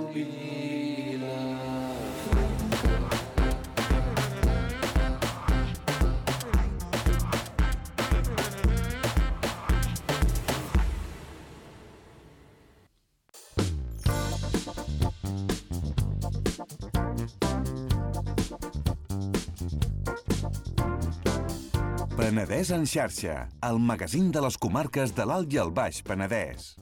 Penedès en xarxa, el magazín de les comarques de l'Alt i el Baix Penedès.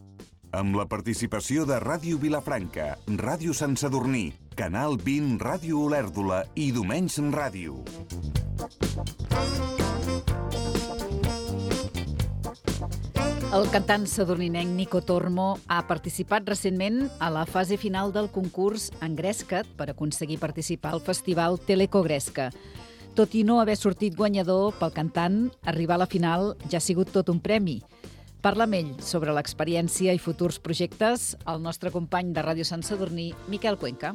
Amb la participació de Ràdio Vilafranca, Ràdio Sant Sadurní, Canal 20, Ràdio Olèrdola i Domenys Ràdio. El cantant sadurninenc Nico Tormo ha participat recentment a la fase final del concurs Engresca't per aconseguir participar al festival Telecogresca. Tot i no haver sortit guanyador, pel cantant, arribar a la final ja ha sigut tot un premi. Parla amb ell sobre l'experiència i futurs projectes el nostre company de Ràdio Sant Sadurní, Miquel Cuenca.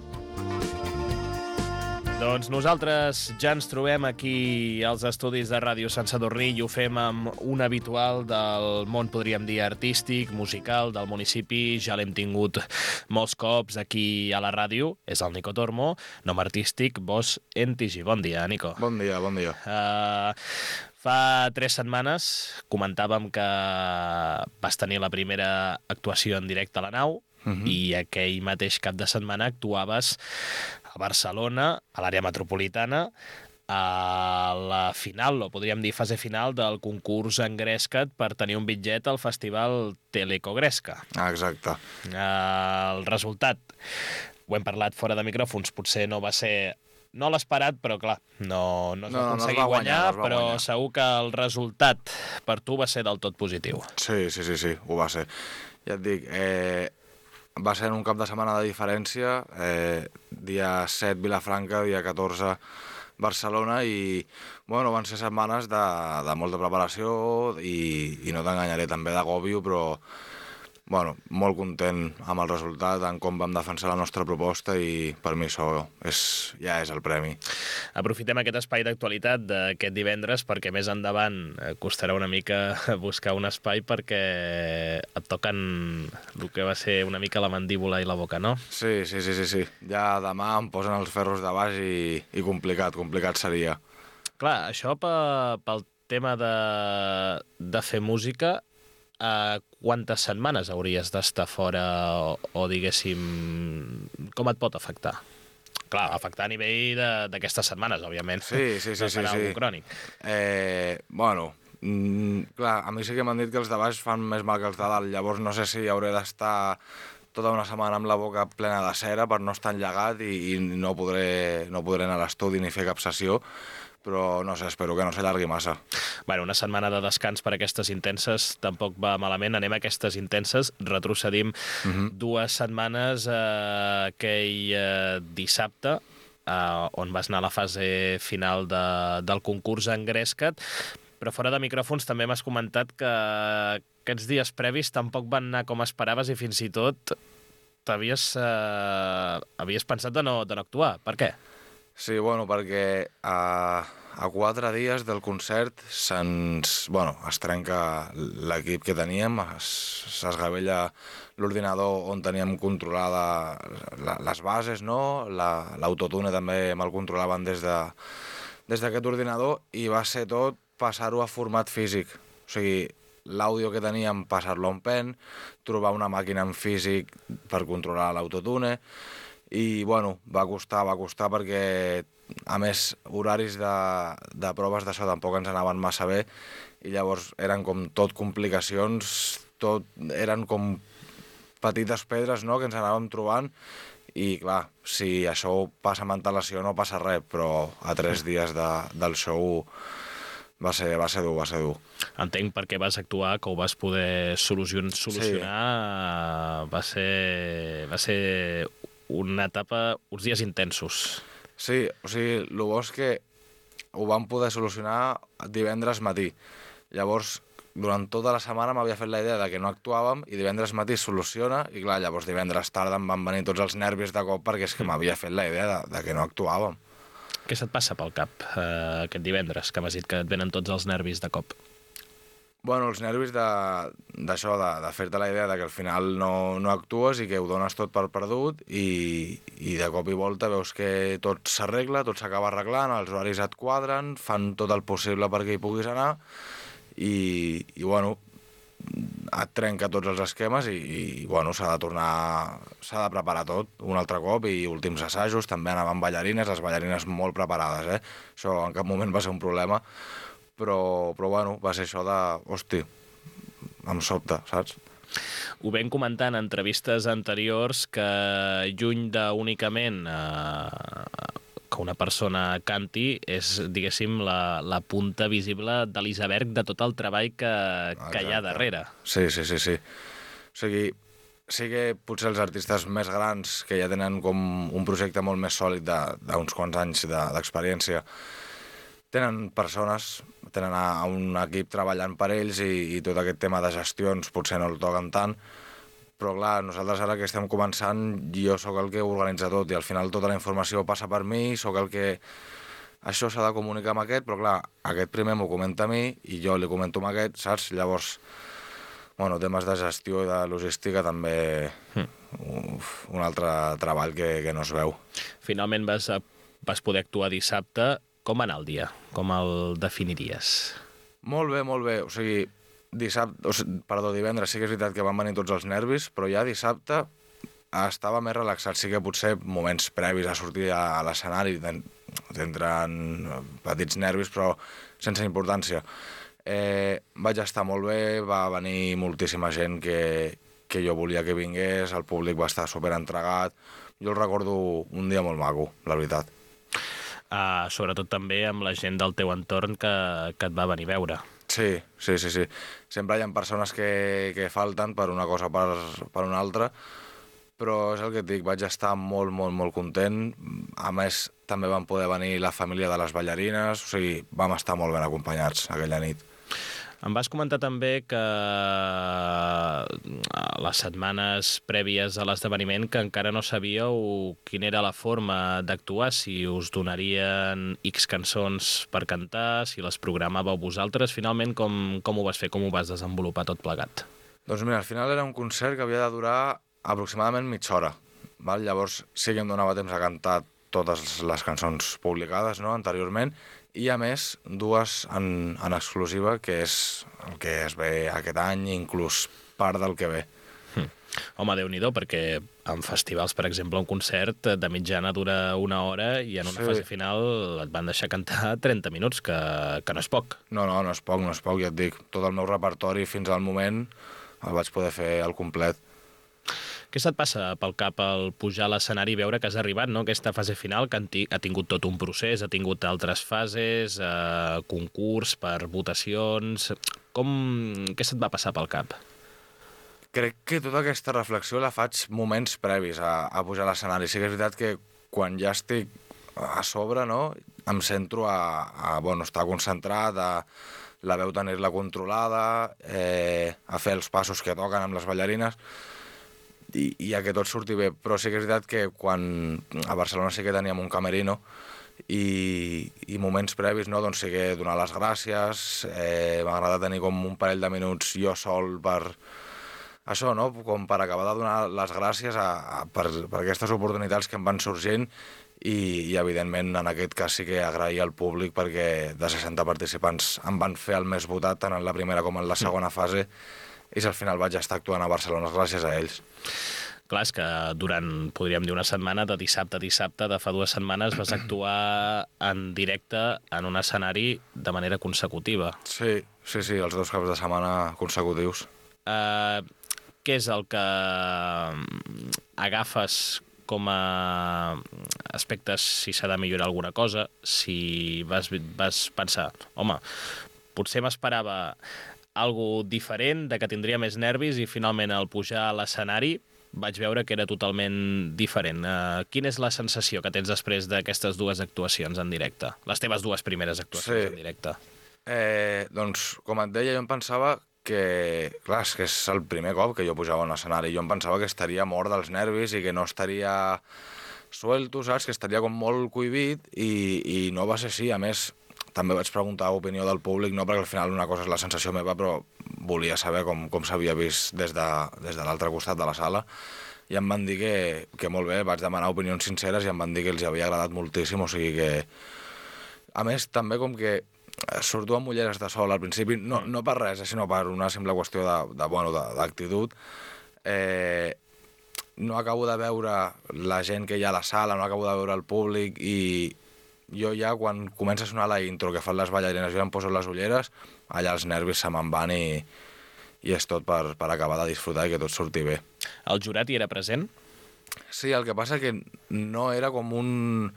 Doncs nosaltres ja ens trobem aquí als estudis de Ràdio Sant Sadurní i ho fem amb un habitual del món, podríem dir, artístic, musical, del municipi. Ja l'hem tingut molts cops aquí a la ràdio. És el Nico Tormo, nom artístic, Boss Entigi. Bon dia, Nico. Bon dia, bon dia. Fa 3 setmanes comentàvem que vas tenir la primera actuació en directe a la nau i aquell mateix cap de setmana actuaves a Barcelona, a l'àrea metropolitana, a la final, o podríem dir fase final, del concurs Engresca't per tenir un bitllet al festival Telecogresca. Exacte. El resultat, ho hem parlat fora de micròfons, potser no va ser... No l'esperat, però clar, no es va aconseguir guanyar, però segur que el resultat per tu va ser del tot positiu. Sí, ho va ser. Ja et dic, va ser en un cap de setmana de diferència, dia 7 Vilafranca, dia 14 Barcelona, i bueno, van ser setmanes de molta preparació i no t'enganyaré, també d'agòbio, però bueno, molt content amb el resultat, en com vam defensar la nostra proposta, i per mi això ja és el premi. Aprofitem aquest espai d'actualitat d'aquest divendres perquè més endavant costarà una mica buscar un espai perquè et toquen el que va ser una mica la mandíbula i la boca, no? Sí. Ja demà em posen els ferros de baix i complicat seria. Clar, això pel tema de fer música, quantes setmanes hauries d'estar fora o diguéssim, com et pot afectar? Clar, afectar a nivell d'aquestes setmanes, òbviament. Sí. No serà algú crònic. Bueno, clar, a mi sí que m'han dit que els de baix fan més mal que els de dalt, llavors no sé si hauré d'estar tota una setmana amb la boca plena de cera per no estar enllagat i no podré anar a l'estudi ni fer cap sessió, però no sé, espero que no s'allargui massa. Bueno, una setmana de descans per aquestes intenses tampoc va malament. Anem a aquestes intenses, retrocedim 2 setmanes aquell dissabte, on vas anar a la fase final del concurs Engresca't, però fora de micròfons també m'has comentat que aquests dies previs tampoc van anar com esperaves i fins i tot havies pensat de no actuar. Per què? Sí, bueno, perquè a 4 dies del concert es trenca l'equip que teníem, s'esgavella l'ordinador on teníem controlada les bases, no? L'autotune també me'l controlaven des d'aquest ordinador, i va ser tot passar-ho a format físic. O sigui, l'àudio que teníem, passar-lo a un pen, trobar una màquina en físic per controlar l'autotune, i bueno, va costar perquè, a més, horaris de proves d'això tampoc ens anaven massa bé, i llavors eren com tot complicacions, eren com petites pedres, no?, que ens anàvem trobant, i clar, si això passa amb antelació no passa res, però a 3 dies del show va ser dur. Entenc per què vas actuar, que ho vas poder solucionar. Sí. Va ser una etapa, uns dies intensos. Sí, o sigui, el bo és que ho vam poder solucionar divendres matí. Llavors, durant tota la setmana m'havia fet la idea de que no actuàvem, i divendres matí es soluciona, i clar, llavors divendres tarda em van venir tots els nervis de cop perquè és que m'havia fet la idea de que no actuàvem. Què se't passa pel cap aquest divendres, que m'has dit que et venen tots els nervis de cop? Bueno, els nervis d'això, de fer-te la idea de que al final no actues i que ho dones tot per perdut i de cop i volta veus que tot s'arregla, tot s'acaba arreglant, els horaris et quadren, fan tot el possible perquè hi puguis anar i bueno, et trenca tots els esquemes i bueno, s'ha de preparar tot un altre cop i últims assajos, també anaven ballarines, les ballarines molt preparades, Això en cap moment va ser un problema, però bueno, va ser això de, hosti, em sobta, saps? Ho vam comentar en entrevistes anteriors que lluny d'únicament que una persona canti és, diguéssim, la punta visible de l'iceberg de tot el treball que hi ha darrere. Sí. O sigui, sí que potser els artistes més grans, que ja tenen com un projecte molt més sòlid d'uns quants anys d'experiència, tenen persones, tenen un equip treballant per ells i tot aquest tema de gestions potser no el toquen tant, però clar, nosaltres ara que estem començant, jo sóc el que ho organitza tot i al final tota la informació passa per mi, sóc el que... Això s'ha de comunicar amb aquest, però clar, aquest primer m'ho comenta a mi i jo li comento amb aquest, saps? Llavors, bueno, temes de gestió i de logística també un altre treball que no es veu. Finalment vas poder actuar dissabte. Com va anar el dia? Com el definiries? Molt bé. O sigui, divendres sí que és veritat que van venir tots els nervis, però ja dissabte estava més relaxat. Sí que potser moments previs a sortir a l'escenari tindran petits nervis, però sense importància. Vaig estar molt bé, va venir moltíssima gent que jo volia que vingués, el públic va estar superentregat. Jo el recordo un dia molt maco, la veritat. Sobretot també amb la gent del teu entorn que et va venir a veure. Sí. Sempre hi ha persones que falten per una cosa o per una altra, però és el que et dic, vaig estar molt content. A més, també van poder venir la família de les ballarines, o sigui, vam estar molt ben acompanyats aquella nit. Em vas comentar també que les setmanes prèvies a l'esdeveniment que encara no sabíeu quina era la forma d'actuar, si us donarien X cançons per cantar, si les programàveu vosaltres. Finalment, com ho vas fer? Com ho vas desenvolupar tot plegat? Doncs mira, al final era un concert que havia de durar aproximadament mitja hora. Val? Llavors sí que em donava temps a cantar totes les cançons publicades, no?, anteriorment, i a més dues en exclusiva, que és el que es ve aquest any, inclús part del que ve. Home, Déu-n'hi-do, perquè en festivals, per exemple, un concert de mitjana dura 1 hora i en una fase final et van deixar cantar 30 minuts, que no és poc. No és poc, ja et dic. Tot el meu repertori fins al moment el vaig poder fer al complet. Què se't passa pel cap al pujar a l'escenari i veure que has arribat, no?, aquesta fase final, que ha tingut tot un procés, ha tingut altres fases, concurs per votacions... Què se't va passar pel cap? Crec que tota aquesta reflexió la faig moments previs a pujar a l'escenari. Sí que és veritat que quan ja estic a sobre, no?, em centro a estar concentrat, a la veu tenir-la controlada, a fer els passos que toquen amb les ballarines, i a que tot surti bé. Però sí que és veritat que quan a Barcelona sí que teníem un camerino i moments previs, no?, doncs sí que donar les gràcies, m'agrada tenir com un parell de minuts jo sol per això, no?, com per acabar de donar les gràcies per aquestes oportunitats que em van sorgint i evidentment en aquest cas sí que agrair al públic perquè de 60 participants em van fer el més votat tant en la primera com en la segona fase i al final vaig estar actuant a Barcelona gràcies a ells. Clar, és que durant, podríem dir, una setmana, de dissabte a dissabte, de fa 2 setmanes, vas actuar en directe en un escenari de manera consecutiva. Sí, els 2 caps de setmana consecutius. Què és el que agafes com a aspectes, si s'ha de millorar alguna cosa, si vas pensar, home, potser m'esperava algo diferent, de que tindria més nervis i finalment al pujar a l'escenari vaig veure que era totalment diferent. Quina és la sensació que tens després d'aquestes 2 actuacions en directe? Les teves 2 primeres actuacions en directe. Doncs, com et deia, jo em pensava que, clar, és que és el primer cop que jo pujava a un escenari. Jo em pensava que estaria mort dels nervis i que no estaria suelto, saps? Que estaria com molt cohibit i no va ser així. A més, també vaig preguntar opinió del públic, no perquè al final una cosa és la sensació meva, però volia saber com s'havia vist des de l'altre costat de la sala, i em van dir que molt bé, vaig demanar opinions sinceres i em van dir que els havia agradat moltíssim, o sigui que... A més, també com que surto amb ulleres de sol al principi, no per res, sinó per una simple qüestió d'actitud. No acabo de veure la gent que hi ha a la sala, no acabo de veure el públic, i jo ja, quan comença a sonar la intro que fan les ballarines, jo em poso les ulleres, allà els nervis se me'n van i és tot per acabar de disfrutar i que tot surti bé. El jurat hi era present? Sí, el que passa que no era com un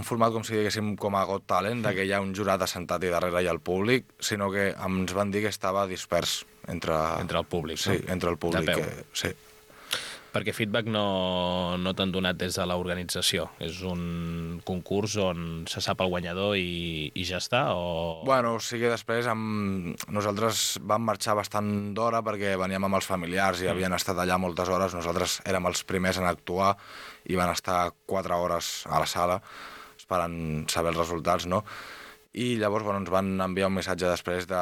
format, com si diguéssim, com a Got Talent, que hi ha un jurat assentat i darrere hi ha el públic, sinó que ens van dir que estava dispers entre el públic. Sí, no? entre el públic. De peu. Sí. Perquè feedback no t'han donat des de l'organització. És un concurs on se sap el guanyador i ja està? O... Bueno, sí que després nosaltres vam marxar bastant d'hora perquè veníem amb els familiars i havien estat allà moltes hores. Nosaltres érem els primers en actuar i van estar 4 hores a la sala esperant saber els resultats, no? I llavors ens van enviar un missatge després que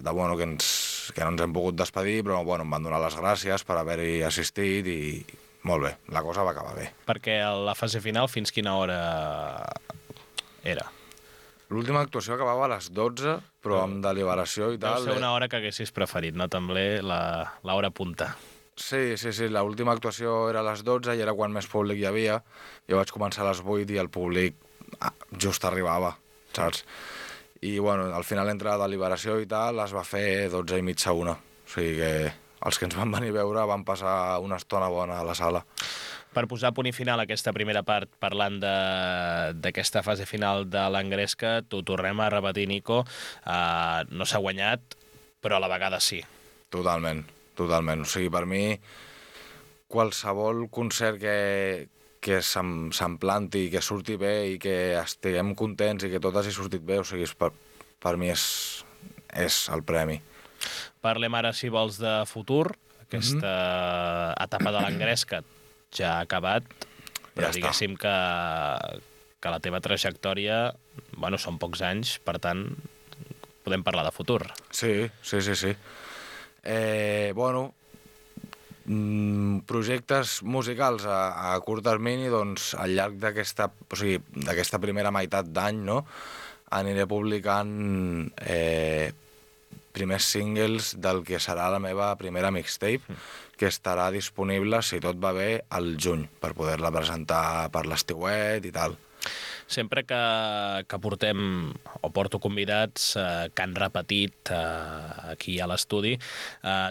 no ens hem pogut despedir, però em van donar les gràcies per haver-hi assistit i molt bé, la cosa va acabar bé. Perquè la fase final fins quina hora era? L'última actuació acabava a les 12, però amb deliberació i tal. Deu ser una hora que haguessis preferit, no? També l'hora punta. Sí, l'última actuació era a les 12 i era quan més públic hi havia. Jo vaig començar a les 8 i el públic just arribava, saps? I al final entre la deliberació i tal es va fer 12 i mitja, 1. O sigui que els que ens van venir a veure van passar una estona bona a la sala. Per posar punt i final a aquesta primera part, parlant d'aquesta fase final de l'Engresca, t'ho tornem a repetir, Nico, no s'ha guanyat, però a la vegada sí. Totalment. O sigui, per mi, qualsevol concert que se'm planti, que surti bé i que estiguem contents i que tot hagi sortit bé, o sigui, per mi és el premi. Parlem ara, si vols, de futur. Aquesta etapa de l'Engresca ja ha acabat, però ja diguéssim que la teva trajectòria, són pocs anys, per tant, podem parlar de futur. Sí. Projectes musicals a curt termini, doncs al llarg d'aquesta primera meitat d'any, no? Aniré publicant primers singles del que serà la meva primera mixtape, que estarà disponible, si tot va bé, al juny, per poder-la presentar per l'estiuet i tal. Sempre que porto convidats que han repetit aquí a l'estudi,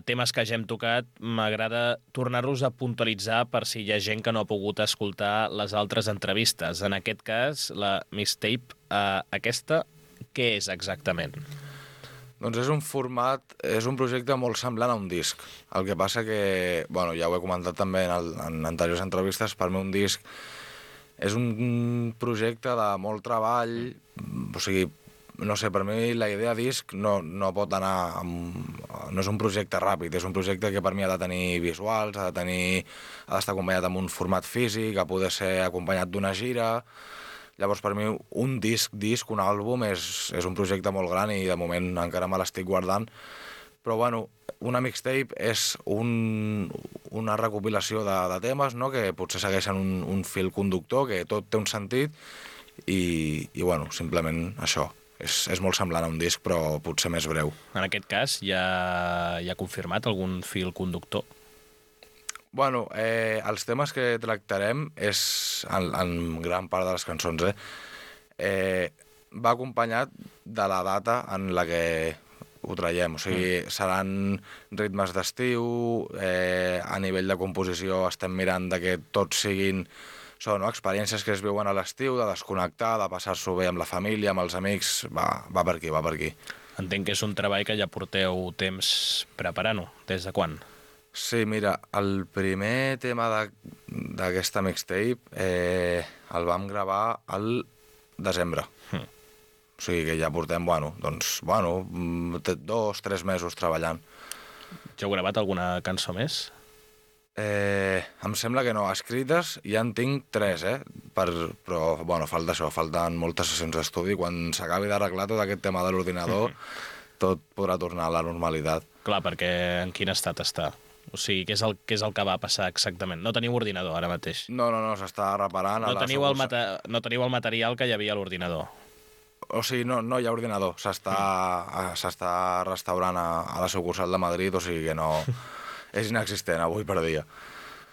temes que ja hem tocat, m'agrada tornar-los a puntualitzar per si hi ha gent que no ha pogut escoltar les altres entrevistes. En aquest cas, la mixtape, aquesta, què és exactament? Doncs és un projecte molt semblant a un disc. El que passa que, ja ho he comentat també en anteriors entrevistes, per mi un disc és un projecte de molt treball, o sigui, no sé, per mi la idea disc no pot anar no és un projecte ràpid, és un projecte que per mi ha de tenir visuals, ha d'estar acompanyat amb un format físic, ha de poder ser acompanyat d'una gira. Llavors, per mi, un disc, un àlbum, és un projecte molt gran i de moment encara me l'estic guardant. Però, una mixtape és una recopilació de temes, no?, que potser segueixen un fil conductor, que tot té un sentit i simplement això. És molt semblant a un disc, però potser més breu. En aquest cas, ja ha confirmat algun fil conductor? Els temes que tractarem en gran part de les cançons, va acompanyat de la data en la que ho traiem. O sigui, seran ritmes d'estiu, a nivell de composició estem mirant que tots siguin experiències que es viuen a l'estiu, de desconnectar, de passar-s'ho bé amb la família, amb els amics, va per aquí. Entenc que és un treball que ja porteu temps preparant-ho. Des de quan? Sí, mira, el primer tema d'aquesta mixtape el vam gravar al desembre. O sigui que ja portem, 2-3 mesos treballant. Ja heu gravat alguna cançó més? Em sembla que no. Escrites ja en tinc 3, però, bueno, falta això, falten moltes sessions d'estudi. Quan s'acabi d'arreglar tot aquest tema de l'ordinador, tot podrà tornar a la normalitat. Clar, perquè en quin estat està? O sigui, què és el que va passar exactament? No teniu ordinador ara mateix? No, s'està reparant. No teniu el material que hi havia a l'ordinador? O sigui, no hi ha ordinador. S'està restaurant a la sucursal de Madrid, o sigui que no... És inexistent avui per dia.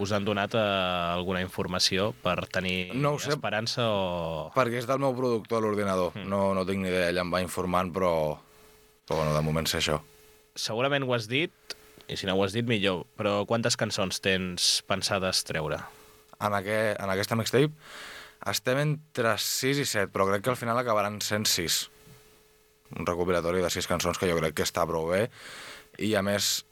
Us han donat alguna informació per tenir esperança o...? Perquè és del meu productor, l'ordinador. No tinc ni idea, ell em va informant, però bueno, de moment sé això. Segurament ho has dit, i si no ho has dit millor, però quantes cançons tens pensades treure? En aquesta mixtape estem entre 6 i 7, però crec que al final acabaran sent 6. Un recopilatori de 6 cançons que jo crec que està prou bé, i a més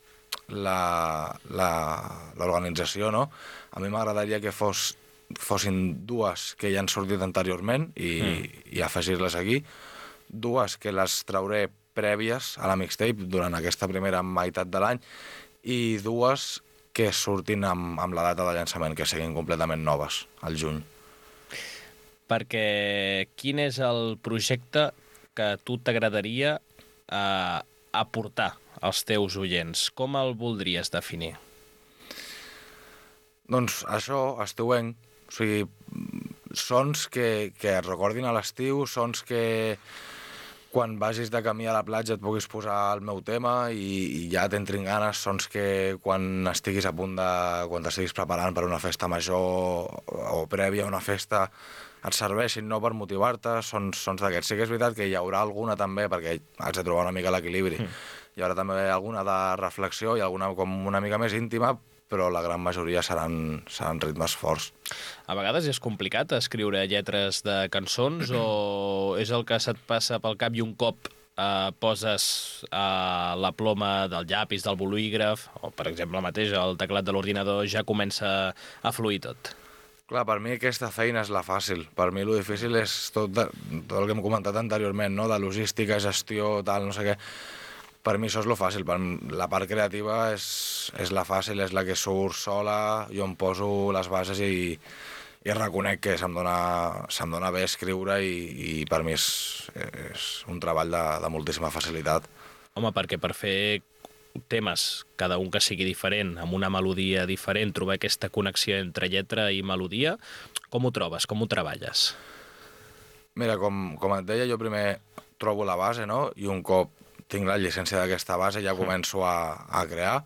l'organització, no? A mi m'agradaria que fossin 2 que ja han sortit anteriorment i afegir-les aquí, 2 que les trauré prèvies a la mixtape durant aquesta primera meitat de l'any i 2 que surtin amb la data de llançament, que siguin completament noves, al juny. Perquè quin és el projecte que a tu t'agradaria aportar als teus oients? Com el voldries definir? Doncs això, estiuenc. O sigui, sons que et recordin a l'estiu, sons que quan vagis de camí a la platja et puguis posar el meu tema i ja t'entrin ganes, sons que quan estiguis a punt quan t'estiguis preparant per una festa major o prèvia a una festa et serveixin, no, per motivar-te, sons d'aquests. Sí que és veritat que hi haurà alguna també, perquè has de trobar una mica l'equilibri. Hi haurà també alguna de reflexió i alguna com una mica més íntima, però la gran majoria seran ritmes forts. A vegades és complicat escriure lletres de cançons o és el que se't passa pel cap i un cop poses la ploma del llapis, del bolígraf, o per exemple mateix el teclat de l'ordinador, ja comença a fluir tot? Clar, per mi aquesta feina és la fàcil. Per mi el difícil és tot el que hem comentat anteriorment, no? De logística, gestió, tal, no sé què. Per mi això és lo fàcil. La part creativa és la fàcil, és la que surt sola, jo em poso les bases i reconec que se'm dona bé escriure i per mi és un treball de moltíssima facilitat. Home, perquè per fer temes, cada un que sigui diferent, amb una melodia diferent, trobar aquesta connexió entre lletra i melodia, com ho trobes? Com ho treballes? Mira, com et deia, jo primer trobo la base, no? I un cop tinc la llicència d'aquesta base ja començo a crear.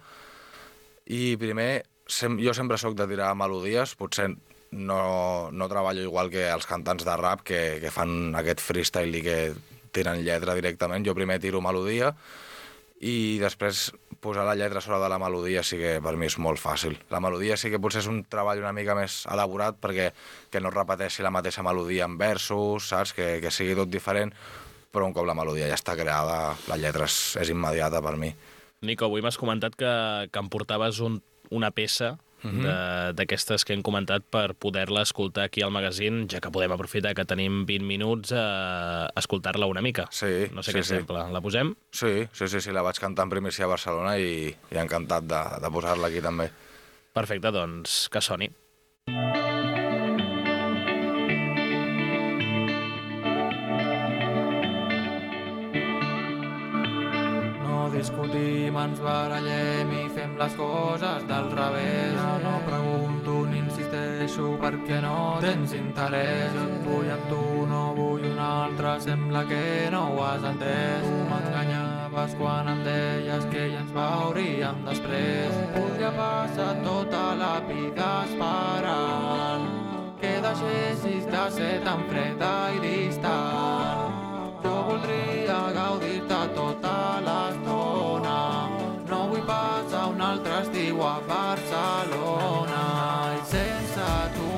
I primer, jo sempre soc de tirar melodies, potser no treballo igual que els cantants de rap que fan aquest freestyle i que tiren lletra directament. Jo primer tiro melodia i després posar la lletra sobre de la melodia sí que per mi és molt fàcil. La melodia sí que potser és un treball una mica més elaborat perquè que no es repeteixi la mateixa melodia en versos, saps? Que sigui tot diferent, però un cop la melodia ja està creada, la lletra és immediata per mi. Nico, avui m'has comentat que em portaves una peça d'aquestes que hem comentat per poder-la escoltar aquí al magazín, ja que podem aprofitar que tenim 20 minuts a escoltar-la una mica. Sí, no sé què exemple. La posem? Sí, la vaig cantar en primícia a Barcelona i encantat de posar-la aquí també. Perfecte, doncs que soni. Discutim, ens barallem i fem les coses del revés. No pregunto ni insisteixo perquè no tens interès. Jo et vull amb tu, no vull un altre, sembla que no ho has entès. Tu m'enganyaves quan em deies que ja ens veuríem després. Podria passar tota la vida esperant que deixessis de ser tan freda i distant. Jo voldria gaudir-te tota l'estona, no vull passar un altre estiu a Barcelona. I sense tu,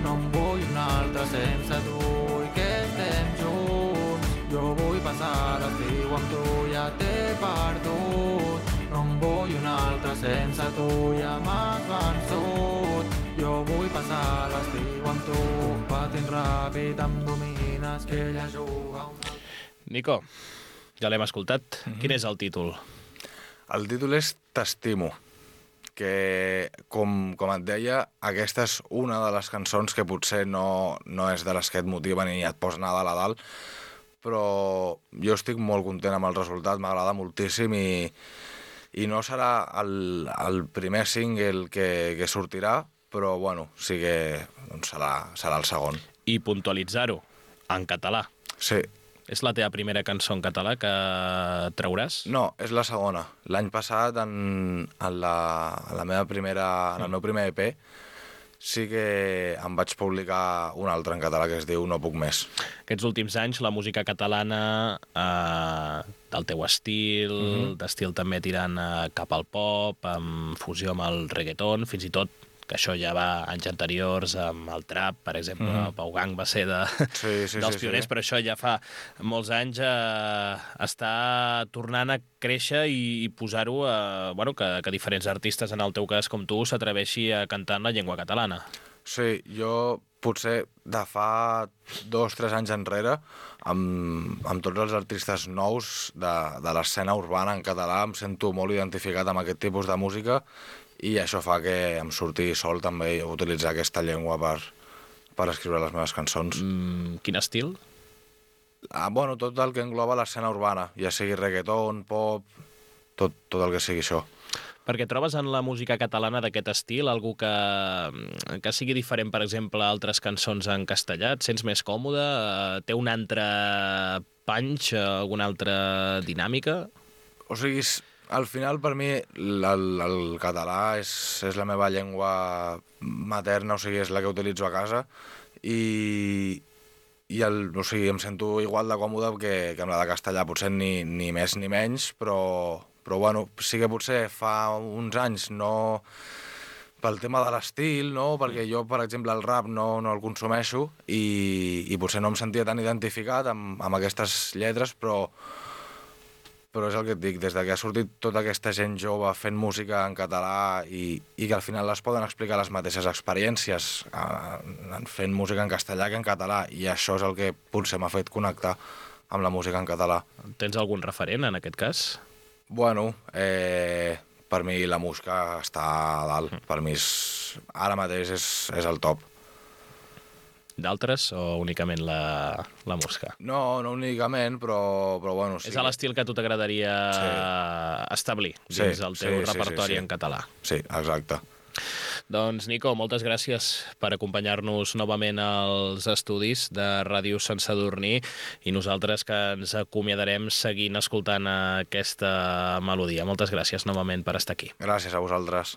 no em vull un altre sense tu, i que estem junts. Jo vull passar l'estiu amb tu, ja t'he perdut. No em vull un altre sense tu, ja m'has vençut. Jo vull passar l'estiu amb tu, patint ràpid em domines, que ella juga un... Nico, ja l'hem escoltat. Quin és el títol? El títol és T'estimo. que, com et deia, aquesta és una de les cançons que potser no és de les que et motiven i et posen a dalt a dalt, però jo estic molt content amb el resultat, m'agrada moltíssim i no serà el primer single que sortirà, però bueno, sí que doncs, serà el segon. I puntualitzar-ho, en català. Sí. És la teva primera cançó en català que trauràs? No, és la segona. L'any passat, en el meu primer EP, sí que em vaig publicar un altre en català que es diu No puc més. Aquests últims anys la música catalana del teu estil, d'estil també tirant cap al pop, amb fusió amb el reggaeton, fins i tot que això ja va anys anteriors amb el trap, per exemple, Pau Gang va ser dels pioners, però això ja fa molts anys està tornant a créixer i posar-ho, que diferents artistes, en el teu cas com tu, s'atreveixi a cantar en la llengua catalana. Sí, jo potser de fa 2-3 anys enrere, amb tots els artistes nous de l'escena urbana en català, em sento molt identificat amb aquest tipus de música i això fa que em surti sol també utilitzar aquesta llengua per escriure les meves cançons. Quin estil? Bueno, tot el que engloba l'escena urbana, ja sigui reggaeton, pop, tot el que sigui això. Perquè trobes en la música catalana d'aquest estil algú que sigui diferent, per exemple, a altres cançons en castellà? Et sents més còmode? Té un altre punch, alguna altra dinàmica? O sigui, al final, per mi, el català és la meva llengua materna, o sigui, és la que utilitzo a casa, i em sento igual de còmode que amb la de castellà, potser ni més ni menys, però bueno, sí que potser fa uns anys no pel tema de l'estil, no? Perquè jo, per exemple, el rap no el consumeixo i potser no em sentia tan identificat amb aquestes lletres, però és el que et dic, des que ha sortit tota aquesta gent jove fent música en català i que al final les poden explicar les mateixes experiències fent música en castellà que en català, i això és el que potser m'ha fet connectar amb la música en català. Tens algun referent en aquest cas? Bueno, per mi la Muska està a dalt, per mi ara mateix és el top. D'altres o únicament la Muska? No únicament, però bueno... Sí. És l'estil que a tu t'agradaria establir dins el teu repertori en català. Sí, exacte. Doncs, Nico, moltes gràcies per acompanyar-nos novament als estudis de Ràdio Sant Sadurní i nosaltres que ens acomiadarem seguint escoltant aquesta melodia. Moltes gràcies novament per estar aquí. Gràcies a vosaltres.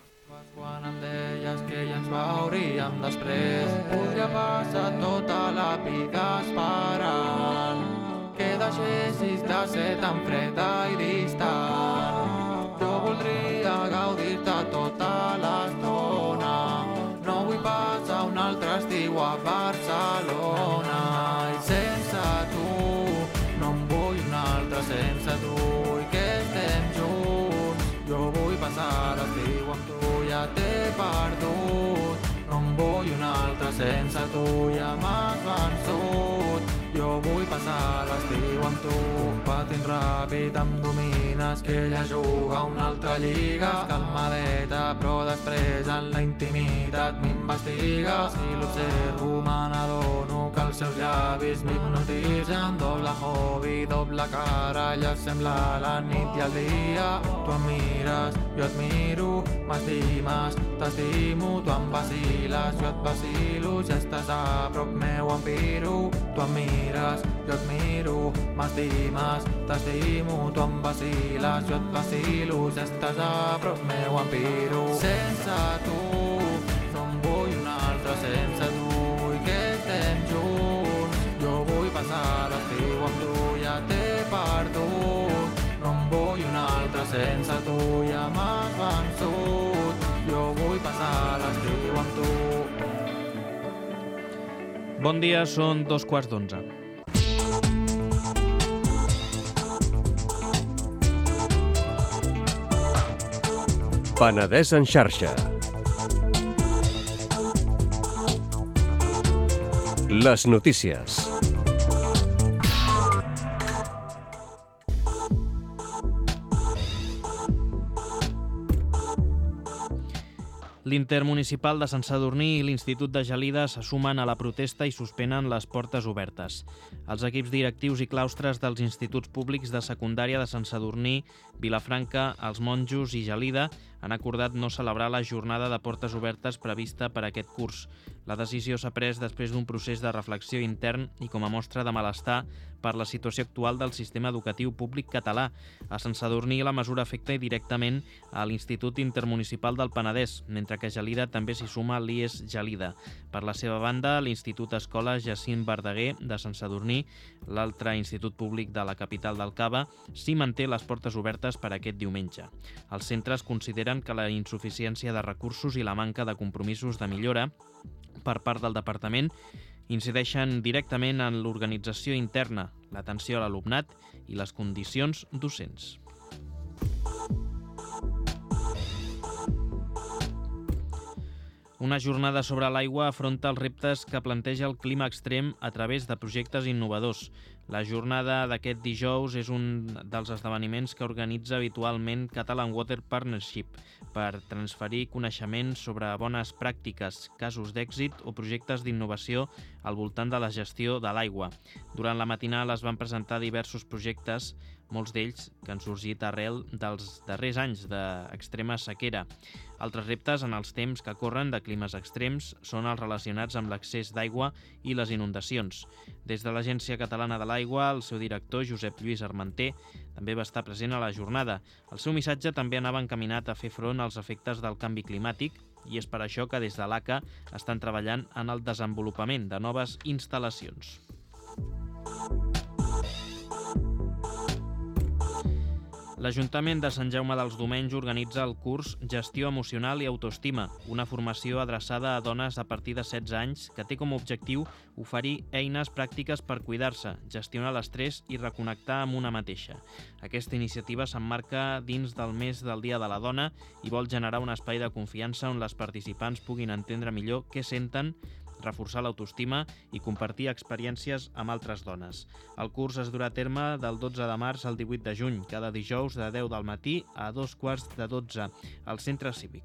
Quan em deies que ja ens veuríem després, podria passar tota la vida esperant que deixessis de ser tan freda i distant. Jo voldria gaudir-te tota l'estona, no vull passar un altre estiu a Barcelona. I sense tu no em vull un altre sense tu, i que estem junts. Jo vull passar l'estiu amb tu, ja t'he perdut. No em vull un altre sense tu, ja m'has vençut. Jo vull passar l'estiu amb tu. Patint ràpid em domines, que ella juga a una altra lliga. Calmadeta, però després en la intimitat m'investiga. Si l'observo me n'adono que els seus llavis m'hipnotitzen. Doble hobby, doble cara, ella sembla la nit i el dia. Tu em mires, jo et miro, m'estimes, t'estimo. Tu em vaciles, jo et vacilo, si estàs a prop meu em piro. Tu em mires, jo et miro, m'estimes, t'estimo. Tu em vaciles, jo et vacilo, si estàs a prop meu em piro. Sense tu no em vull un altre sense tu, i que estem junts. Jo vull passar l'estiu amb tu, ja t'he perdut. No em vull un altre sense tu, ja m'has vençut. Jo vull passar l'estiu amb tu. Bon dia, són 2:15. Penedès en xarxa. Les notícies. L'Intermunicipal de Sant Sadurní i l'Institut de Gelida se sumen a la protesta i suspenen les portes obertes. Els equips directius i claustres dels instituts públics de secundària de Sant Sadurní, Vilafranca, Els Monjos i Gelida han acordat no celebrar la jornada de portes obertes prevista per aquest curs. La decisió s'ha pres després d'un procés de reflexió intern i com a mostra de malestar per la situació actual del sistema educatiu públic català. A Sant Sadurní la mesura afecta directament a l'Institut Intermunicipal del Penedès, mentre que a Gelida també s'hi suma l'IES Gelida. Per la seva banda, l'Institut Escola Jacint Verdaguer de Sant Sadurní, l'altre institut públic de la capital del Cava, sí manté les portes obertes per aquest diumenge. Els centres consideren que la insuficiència de recursos i la manca de compromisos de millora per part del departament incideixen directament en l'organització interna, l'atenció a l'alumnat i les condicions docents. Una jornada sobre l'aigua afronta els reptes que planteja el clima extrem a través de projectes innovadors. La jornada d'aquest dijous és un dels esdeveniments que organitza habitualment Catalan Water Partnership per transferir coneixement sobre bones pràctiques, casos d'èxit o projectes d'innovació al voltant de la gestió de l'aigua. Durant la matinal es van presentar diversos projectes, molts d'ells que han sorgit arrel dels darrers anys d'extrema sequera. Altres reptes en els temps que corren de climes extrems són els relacionats amb l'accés d'aigua i les inundacions. Des de l'Agència Catalana de l'Aigua, el seu director, Josep Lluís Armenter, també va estar present a la jornada. El seu missatge també anava encaminat a fer front als efectes del canvi climàtic i és per això que des de l'ACA estan treballant en el desenvolupament de noves instal·lacions. L'Ajuntament de Sant Jaume dels Domenys organitza el curs Gestió Emocional i Autoestima, una formació adreçada a dones a partir de 16 anys que té com a objectiu oferir eines pràctiques per cuidar-se, gestionar l'estrès i reconnectar amb una mateixa. Aquesta iniciativa s'emmarca dins del mes del Dia de la Dona i vol generar un espai de confiança on les participants puguin entendre millor què senten, reforçar l'autoestima i compartir experiències amb altres dones. El curs es durà a terme del 12 de març al 18 de juny, cada dijous de 10 del matí a 2:15 al Centre Cívic.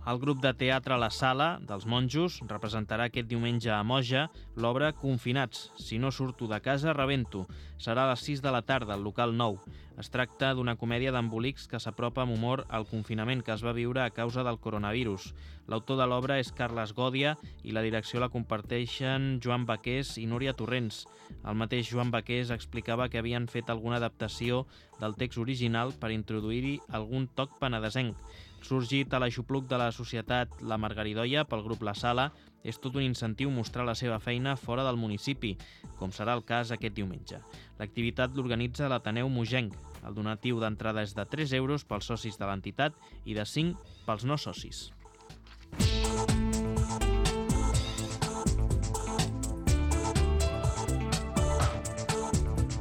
El grup de teatre La Sala, dels Monjos, representarà aquest diumenge a Moja l'obra Confinats, si no surto de casa, rebento. Serà a les 6 de la tarda, al local 9. Es tracta d'una comèdia d'embolics que s'apropa amb humor al confinament que es va viure a causa del coronavirus. L'autor de l'obra és Carles Gòdia i la direcció la comparteixen Joan Baqués i Núria Torrents. El mateix Joan Baqués explicava que havien fet alguna adaptació del text original per introduir-hi algun toc penedesenc. Sorgit a l'aixopluc de la societat La Margaridoia pel grup La Sala, és tot un incentiu mostrar la seva feina fora del municipi, com serà el cas aquest diumenge. L'activitat l'organitza l'Ateneu Mogenc. El donatiu d'entrada és de 3 euros pels socis de l'entitat i de 5 pels no socis.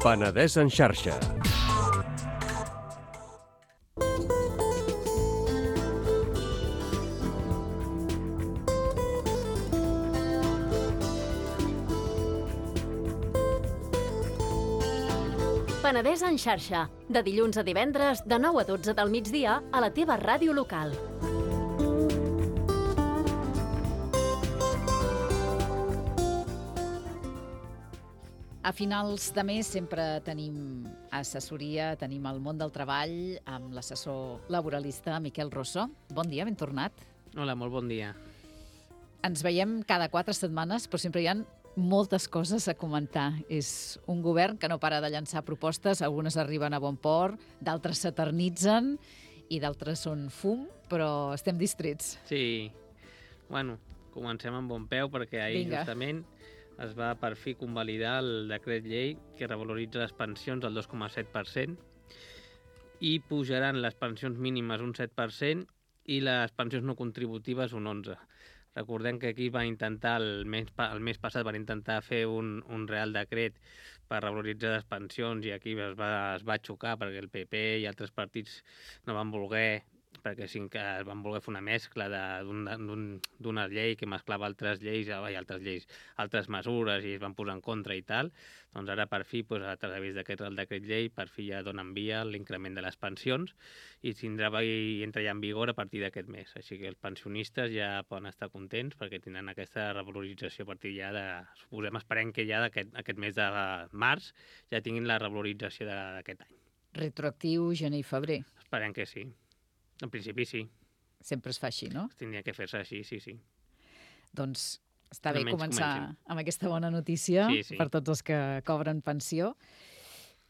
Penedès en xarxa. Penedès en xarxa, de dilluns a divendres, de 9 a 12 del migdia, a la teva ràdio local. A finals de mes sempre tenim assessoria, tenim el món del treball amb l'assessor laboralista Miquel Rosso. Bon dia, ben tornat. Hola, molt bon dia. Ens veiem cada 4 setmanes, però sempre hi ha moltes coses a comentar. És un govern que no para de llançar propostes, algunes arriben a bon port, d'altres s'eternitzen i d'altres són fum, però estem distrets. Sí, bueno, comencem amb bon peu perquè ahir justament es va per fi convalidar el decret llei que revaloritza les pensions al 2,7% i pujaran les pensions mínimes un 7% i les pensions no contributives un 11%. Recordem que aquí va intentar, el mes passat van intentar fer un real decret per revaloritzar les pensions i aquí es va xocar perquè el PP i altres partits no van voler perquè sí que van voler fer una mescla d'una llei que mesclava altres mesures i es van posar en contra i tal, doncs ara per fi, a través d'aquest Real Decret Llei, per fi ja donen via l'increment de les pensions i entra ja en vigor a partir d'aquest mes. Així que els pensionistes ja poden estar contents perquè tindran aquesta revalorització a partir ja esperem que ja aquest mes de març ja tinguin la revalorització d'aquest any. Retroactiu gener i febrer. Esperem que sí. En principi sí. Sempre es fa així, no? Tindria que fer-se així, sí. Doncs està bé començar amb aquesta bona notícia per tots els que cobren pensió.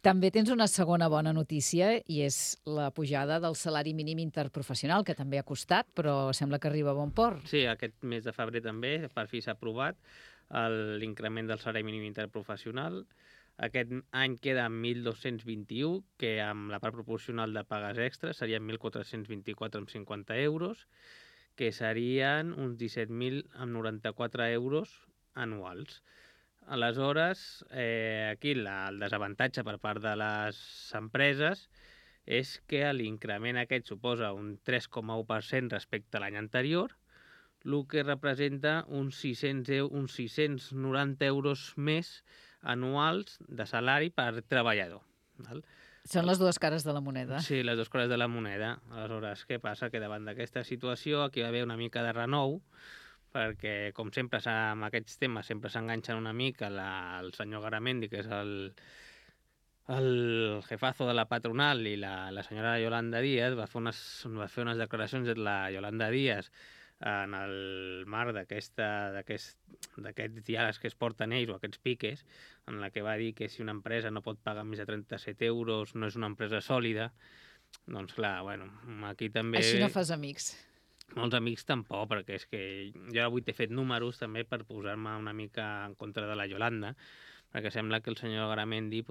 També tens una segona bona notícia i és la pujada del salari mínim interprofessional, que també ha costat, però sembla que arriba a bon port. Sí, aquest mes de febrer també, per fi s'ha aprovat l'increment del salari mínim interprofessional. Aquest any queda en 1.221, que amb la part proporcional de pagues extres serien 1.424,50 euros, que serien uns 17.094 euros anuals. Aleshores, aquí el desavantatge per part de les empreses és que l'increment aquest suposa un 3,1% respecte a l'any anterior, el que representa uns 690 euros més anuals de salari per treballador. Val? Són les dues cares de la moneda. Sí, les dues cares de la moneda. Aleshores, què passa? Que davant d'aquesta situació aquí va haver una mica de renou, perquè, com sempre, amb aquests temes sempre s'enganxen una mica el senyor Garamendi, que és el jefazo de la patronal, i la senyora Yolanda Díaz va fer unes declaracions de la Yolanda Díaz en el marc d'aquests diàlegs que es porten ells, o aquests piques, en la que va dir que si una empresa no pot pagar més de 37 euros no és una empresa sòlida. Doncs clar, aquí també... Així no fas amics. Molts amics tampoc, perquè és que jo avui t'he fet números també per posar-me una mica en contra de la Yolanda, perquè sembla que el senyor Garamendi,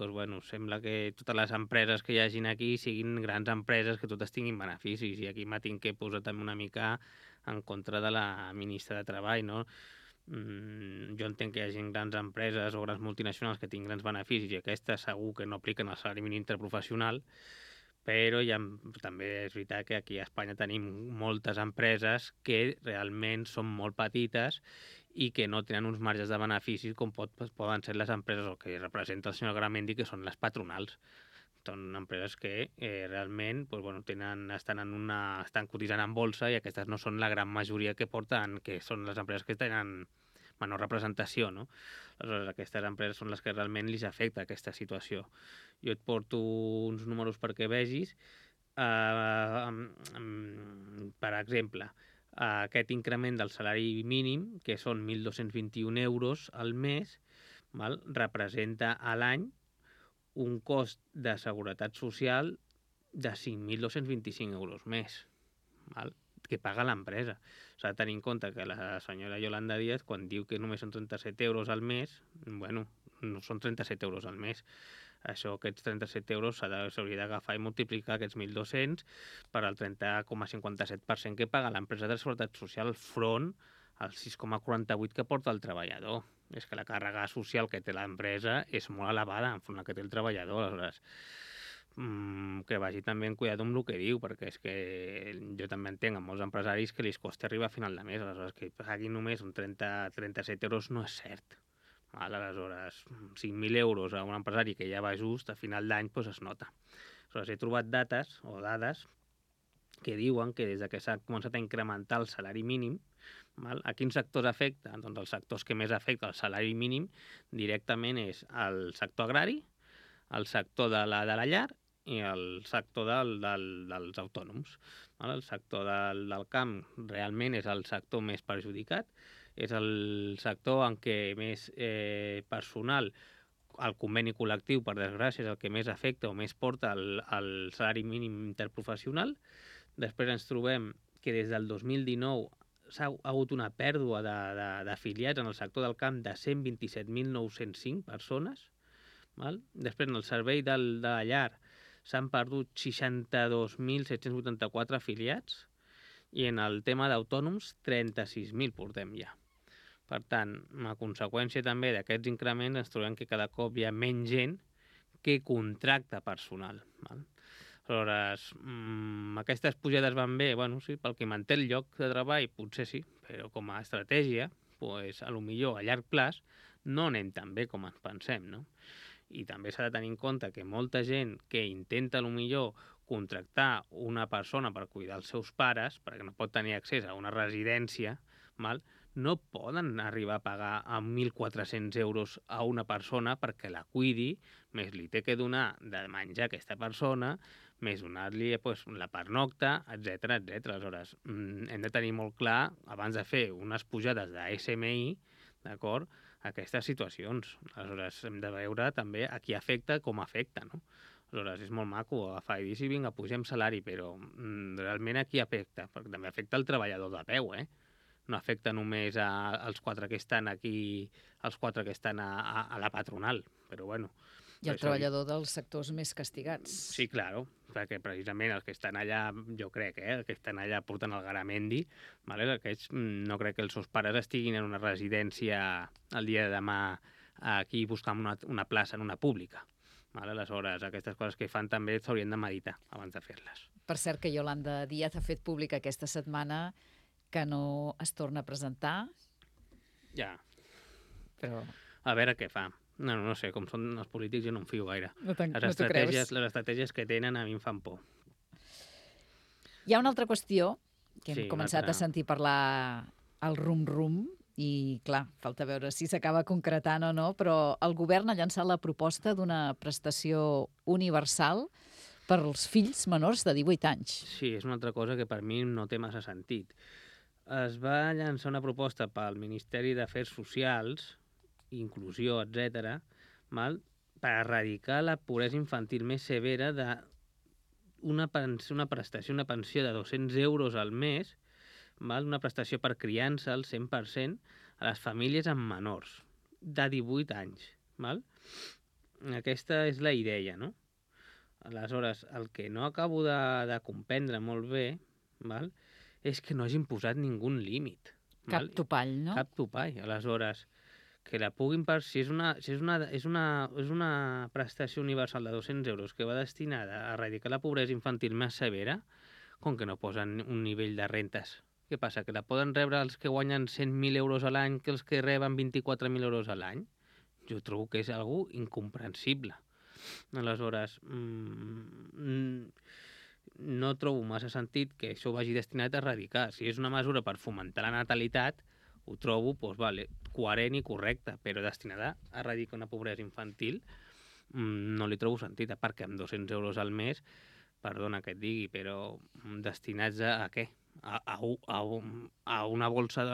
sembla que totes les empreses que hi hagin aquí siguin grans empreses que totes tinguin beneficis, i aquí m'ha tinc que posar també una mica en contra de la ministra de Treball, no? Jo entenc que hi hagin grans empreses o grans multinacionals que tinguin grans beneficis i aquestes segur que no apliquen el salari mínim interprofessional, però també és veritat que aquí a Espanya tenim moltes empreses que realment són molt petites i que no tenen uns marges de beneficis com poden ser les empreses o que representa el senyor Garamendi, que són les patronals. Són empreses que realment estan cotitzant en bolsa i aquestes no són la gran majoria que són les empreses que tenen menor representació, no? Aleshores, aquestes empreses són les que realment li afecta aquesta situació. Jo et porto uns números perquè vegis. Per exemple, aquest increment del salari mínim, que són 1.221 euros al mes, representa a l'any un cost de seguretat social de 5.225 euros més, que paga l'empresa. S'ha de tenir en compte que la senyora Yolanda Díaz, quan diu que només són 37 euros al mes, no són 37 euros al mes. Aquests 37 euros s'hauria d'agafar i multiplicar aquests 1.200 per al 30,57% que paga l'empresa de seguretat social front al 6,48% que porta el treballador. És que la càrrega social que té l'empresa és molt elevada enfront la que té el treballador. Aleshores, que vagi també en cuidado amb el que diu, perquè és que jo també entenc a molts empresaris que li costa arribar a final de mes. Aleshores, que paguin només un 37 euros no és cert. Aleshores, 5.000 euros a un empresari que ja va just, a final d'any es nota. Aleshores, he trobat dades que diuen que des que s'ha començat a incrementar el salari mínim, a quins sectors afecta? Doncs els sectors que més afecta el salari mínim directament és el sector agrari, el sector de la llar i el sector dels autònoms. El sector del camp realment és el sector més perjudicat, és el sector en què més personal, el conveni col·lectiu, per desgràcia, és el que més afecta o més porta el salari mínim interprofessional. Després ens trobem que des del 2019 s'ha hagut una pèrdua d'afiliats en el sector del camp de 127.905 persones. Després, en el servei de la llar s'han perdut 62.784 afiliats i en el tema d'autònoms 36.000 portem ja. Per tant, a conseqüència també d'aquests increments ens trobem que cada cop hi ha menys gent que contracta personal. Aleshores, aquestes pujades van bé, bueno, sí, pel que manté el lloc de treball, potser sí, però com a estratègia, pues, a lo millor a llarg plaç no anem tan bé com ens pensem, no? I també s'ha de tenir en compte que molta gent que intenta a lo millor contractar una persona per cuidar els seus pares, perquè no pot tenir accés a una residència, no poden arribar a pagar a 1.400 euros a una persona perquè la cuidi, més li té que donar de menjar a aquesta persona, més donar-li la pernocta, etc. Aleshores, hem de tenir molt clar, abans de fer unes pujades de SMI, d'acord, aquestes situacions. Aleshores, hem de veure també a qui afecta, com afecta, no? Aleshores, és molt maco agafar i dir, sí, vinga, pugem salari, però realment a qui afecta? Perquè també afecta el treballador de peu, no afecta només als 4 que estan aquí, als 4 que estan a la patronal, però bueno. I el treballador dels sectors més castigats. Sí, claro, perquè precisament els que estan allà, jo crec, els que estan allà portant el garamendi, aquests no crec que els seus pares estiguin en una residència el dia de demà aquí buscant una plaça en una pública. Aleshores, aquestes coses que fan també s'haurien de meditar abans de fer-les. Per cert, que Yolanda Díaz ha fet pública aquesta setmana que no es torna a presentar. Ja. Però... A veure què fa. No sé, com són els polítics jo no em fio gaire. No t'ho creus? Les estratègies que tenen a mi em fan por. Hi ha una altra qüestió que hem començat a sentir parlar al rum-rum i, clar, falta veure si s'acaba concretant o no, però el govern ha llançat la proposta d'una prestació universal per als fills menors de 18 anys. Sí, és una altra cosa que per mi no té massa sentit. Es va llançar una proposta pel Ministeri d'Afers Socials, Inclusió, etc., per erradicar la pobresa infantil més severa d'una prestació, una pensió de 200 euros al mes, una prestació per criança al 100% a les famílies amb menors de 18 anys. Aquesta és la idea, no? Aleshores, el que no acabo de comprendre molt bé és que no hagin posat ningú límit. Cap topall, no? Cap topall. Aleshores, que la puguin si és una prestació universal de 200 euros que va destinada a erradicar la pobresa infantil més severa, com que no posen un nivell de rentes. Què passa? Que la poden rebre els que guanyen 100.000 euros a l'any que els que reben 24.000 euros a l'any? Jo trobo que és algo incomprensible. Aleshores, no trobo massa sentit que això vagi destinat a erradicar. Si és una mesura per fomentar la natalitat, ho trobo coherent i correcte, però destinada a erradicar una pobresa infantil no li trobo sentit, perquè amb 200 euros al mes, perdona que et digui, però destinats a què? A una bolsa de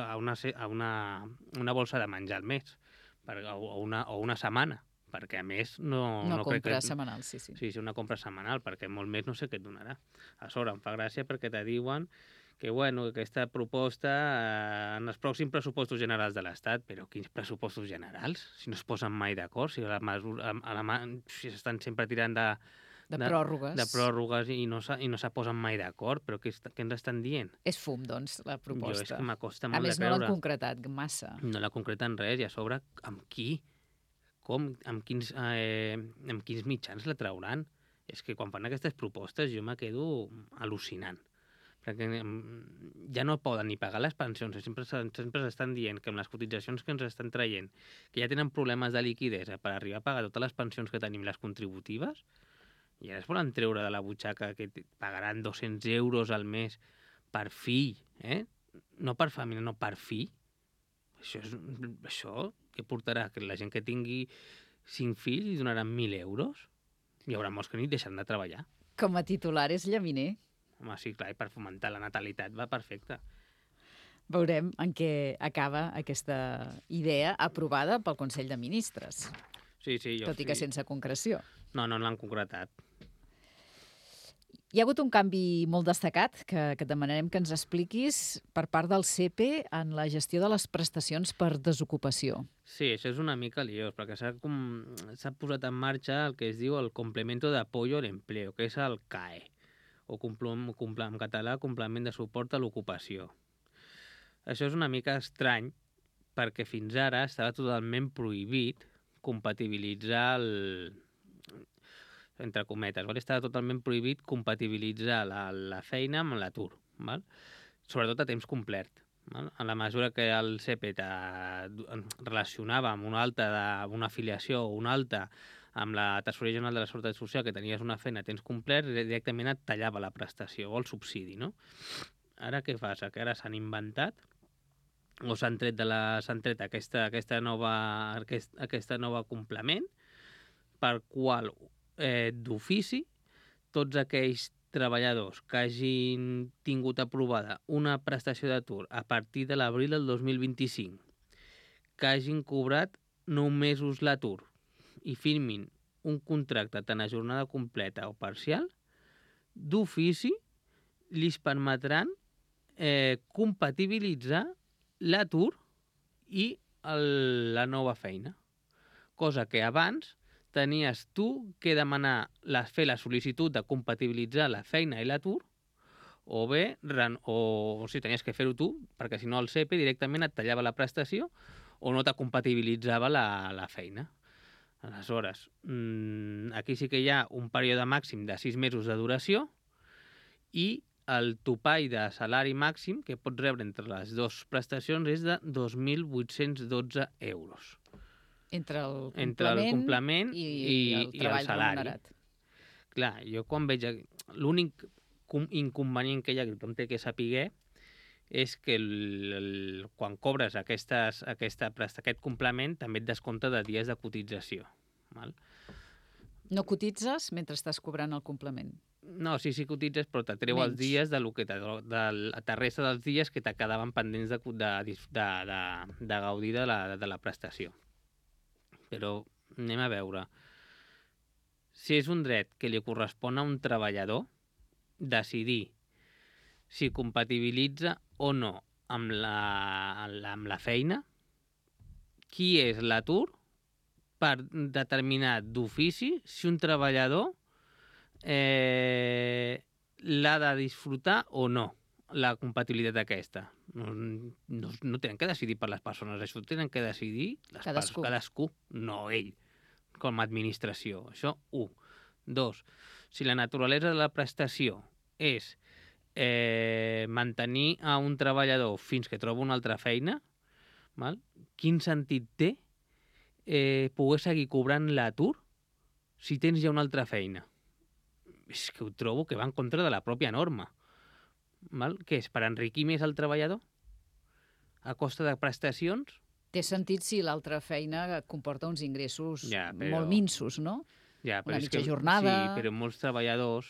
menjar al mes, o una setmana, perquè a més no compra setmanal, sí. Sí, una compra setmanal, perquè molt més no sé què et donarà. A sobre em fa gràcia perquè te diuen que aquesta proposta en els pròxims pressupostos generals de l'Estat, però quins pressupostos generals? Si no es posen mai d'acord, si estan sempre tirant de pròrrogues i no se posen mai d'acord, però què ens estan dient? És fum, doncs, la proposta. Jo és que m'acosta molt de creure. A més, no l'han concretat massa. No l'ha concretat res, i a sobre, amb qui? Com? Amb quins mitjans la trauran? És que quan fan aquestes propostes jo me quedo al·lucinant. Perquè ja no poden ni pagar les pensions, sempre s'estan dient que amb les cotitzacions que ens estan traient, que ja tenen problemes de liquidesa per arribar a pagar totes les pensions que tenim, les contributives, i ara es volen treure de la butxaca que pagaran 200 euros al mes per fill, no per família, no per fill. Això què portarà? Que la gent que tingui 5 fills li donaran 1.000 euros? Hi haurà molts que ni deixaran de treballar. Com a titular és llaminer. Home, sí, clar, i per fomentar la natalitat va perfecte. Veurem en què acaba aquesta idea aprovada pel Consell de Ministres. Sí, tot i que sense concreció. No l'han concretat. Hi ha hagut un canvi molt destacat que et demanarem que ens expliquis per part del SEPE en la gestió de les prestacions per desocupació. Sí, això és una mica liós, perquè s'ha posat en marxa el que es diu el Complemento de Apoyo al Empleo, que és el CAE, o en català, Complement de Suport a l'Ocupació. Això és una mica estrany, perquè fins ara estava totalment prohibit compatibilitzar entre cometes, val? Estava totalment prohibit compatibilitzar la feina amb l'atur, val? Sobretot a temps complet. Val? En la mesura que el CEPET relacionava amb una afiliació o una alta amb la Tresoreria General de la Seguretat Social, que tenies una feina a temps complet, directament et tallava la prestació o el subsidi, no? Ara què passa? Que ara s'han inventat o s'han tret aquesta nova complement per qual d'ofici tots aquells treballadors que hagin tingut aprovada una prestació d'atur a partir de l'abril del 2025, que hagin cobrat 9 mesos l'atur i firmin un contracte tant a jornada completa o parcial, d'ofici li permetran compatibilitzar l'atur i la nova feina. Cosa que abans tenies tu que demanar, fer la sol·licitud de compatibilitzar la feina i l'atur, o bé, tenies que fer-ho tu, perquè si no el CEPE directament et tallava la prestació o no te compatibilitzava la feina. Aleshores, aquí sí que hi ha un període màxim de 6 mesos de duració i el topall de salari màxim que pots rebre entre les dues prestacions és de 2.812 euros. Entre el complement i el salari remunerat. Clar, jo quan veig... L'únic inconvenient que hi ha, que tothom té que saber, és que quan cobres aquest complement també et descompta de dies de cotització. Val? No cotitzes mentre estàs cobrant el complement? No, sí cotitzes, però te treu els dies de la resta dels dies que te quedaven pendents de gaudir de la prestació. Però anem a veure. Si és un dret que li correspon a un treballador decidir si compatibilitza o no amb la feina, qui és l'atur per determinar d'ofici si un treballador l'ha de disfrutar o no, la compatibilitat aquesta. No tenen que decidir per les persones, això tenen que decidir cadascú, no ell, com a administració. Això, 1. 2. Si la naturalesa de la prestació és mantenir a un treballador fins que troba una altra feina, val? Quin sentit té poder seguir cobrant l'atur si tens ja una altra feina? És que ho trobo que va en contra de la pròpia norma. Val? Què és, per enriquir més el treballador? A costa de prestacions? Té sentit si l'altra feina comporta uns ingressos molt minsos, no? Ja, una mitja jornada... Sí, però molts treballadors...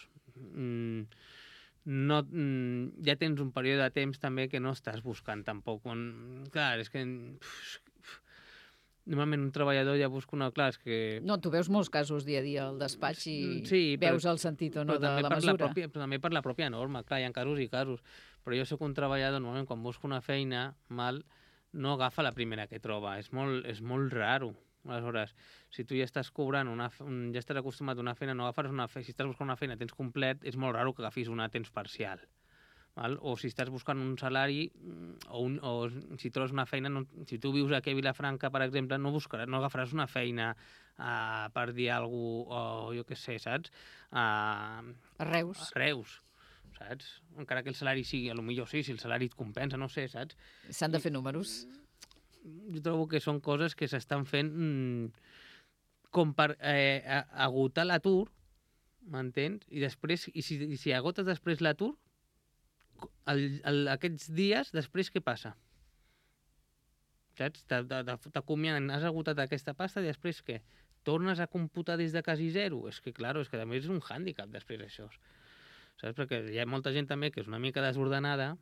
ja tens un període de temps també que no estàs buscant tampoc. Clar, és que... Normalment un treballador ja busca una... Clar, és que... No, tu veus molts casos dia a dia al despatx i veus el sentit o no de la mesura. Però també per la pròpia norma, clar, hi ha casos i casos. Però jo soc un treballador, normalment, quan busco una feina, no agafa la primera que troba. És molt raro. Aleshores, si tu ja estàs cobrant ja estàs acostumat a una feina, no agafaràs una feina. Si estàs buscant una feina a temps complet, és molt raro que agafis una a temps parcial. Val? O si estàs buscant un salari o si trobes una feina, si tu vius aquí a Vilafranca, per exemple, no agafaràs una feina per dir alguna cosa, o jo què sé, saps? A Reus. A Reus, saps? Encara que el salari sigui, potser sí, si el salari et compensa, no sé, saps? S'han de fer números. Jo trobo que són coses que s'estan fent com per agotar l'atur, m'entens? I si agotes després l'atur, aquests dies, després què passa? Saps? T'acomiaden, has agotat aquesta pasta i després què? Tornes a computar des de quasi zero? És que, clar, és que també és un hàndicap després això. Saps? Perquè hi ha molta gent també que és una mica desordenada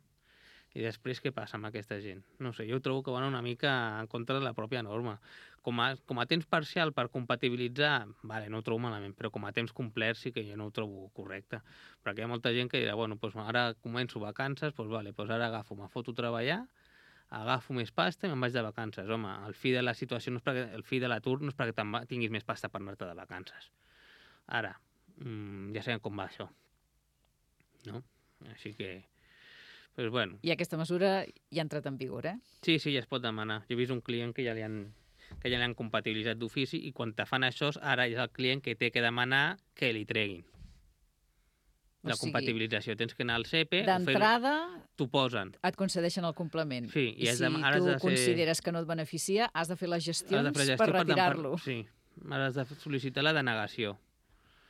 i després què passa amb aquesta gent? No sé, jo trobo que van una mica en contra de la pròpia norma. Com a temps parcial per compatibilitzar, vale, no ho trobo malament, però com a temps complet sí que jo no ho trobo correcte. Perquè hi ha molta gent que dirà, bueno, doncs ara començo vacances, doncs vale, doncs ara me foto a treballar, agafo més pasta i me'n vaig de vacances. Home, el fi de la situació, el fi de l'atur no és perquè tinguis més pasta per anar-te de vacances. Ara, ja sabem com va això. No? Així que... I aquesta mesura ja ha entrat en vigor, eh? Sí, ja es pot demanar. Jo he vist un client que ja li han que ja l'han compatibilitzat d'ofici, i quan te fan això, ara és el client que té que demanar que li treguin la compatibilització. Tens que anar al CEPE... D'entrada, t'ho posen. Et concedeixen el complement. Sí, I si tu consideres que no et beneficia, has de fer les gestions per retirar-lo. Sí, has de sol·licitar la denegació.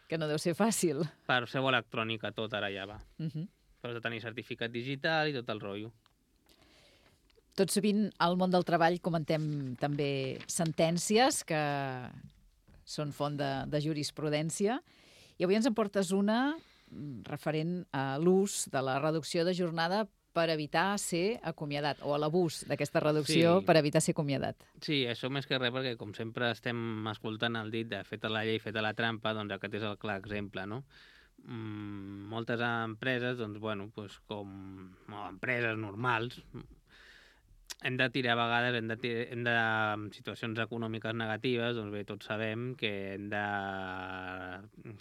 Que no deu ser fàcil. Per seu electrònica tot ara ja va. Però has de tenir certificat digital i tot el rotllo. Tot sovint al món del treball comentem també sentències que són font de jurisprudència. I avui ens en portes una referent a l'ús de la reducció de jornada per evitar ser acomiadat, o a l'abús d'aquesta reducció per evitar ser acomiadat. Sí, això més que res, perquè com sempre estem escoltant el dit de feta la llei, feta la trampa, doncs aquest és el clar exemple, no? Moltes empreses, doncs, bueno, com empreses normals, hem de tirar a vegades, en situacions econòmiques negatives, doncs bé, tots sabem que hem de,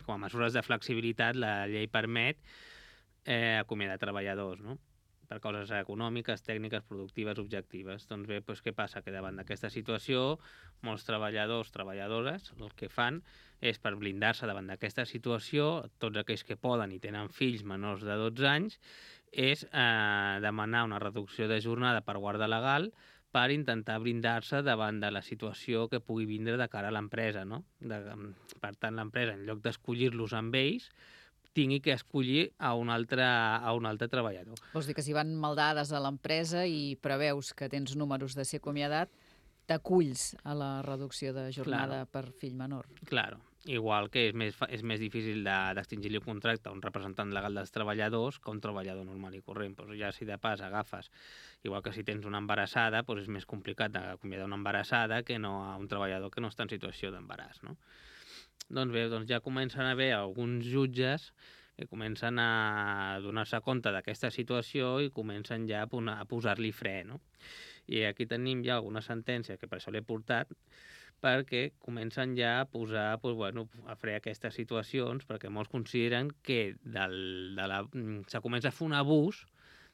com a mesures de flexibilitat, la llei permet acomiadar treballadors, no? Per causes econòmiques, tècniques, productives, objectives. Doncs bé, què passa? Que davant d'aquesta situació, molts treballadors, treballadores, el que fan és, per blindar-se davant d'aquesta situació, tots aquells que poden i tenen fills menors de 12 anys, és demanar una reducció de jornada per guarda legal per intentar blindar-se davant de la situació que pugui vindre de cara a l'empresa, no? Per tant, l'empresa, en lloc d'escollir-los amb ells, tingui que escollir a un altre treballador. Vols dir que si van maldades a l'empresa i preveus que tens números de ser acomiadat, t'aculls a la reducció de jornada per fill menor. Claro. Igual que és més difícil d'extingir-li un contracte a un representant legal dels treballadors que a un treballador normal i corrent. Ja si de pas agafes, igual que si tens una embarassada, és més complicat d'acomiadar una embarassada que no a un treballador que no està en situació d'embaràs, no? Doncs bé, ja comencen a haver alguns jutges que comencen a donar-se compte d'aquesta situació i comencen ja a posar-li fre, no? I aquí tenim ja alguna sentència, que per això l'he portat, perquè comencen ja a posar a fre aquestes situacions, perquè molts consideren que se comença a fer un abús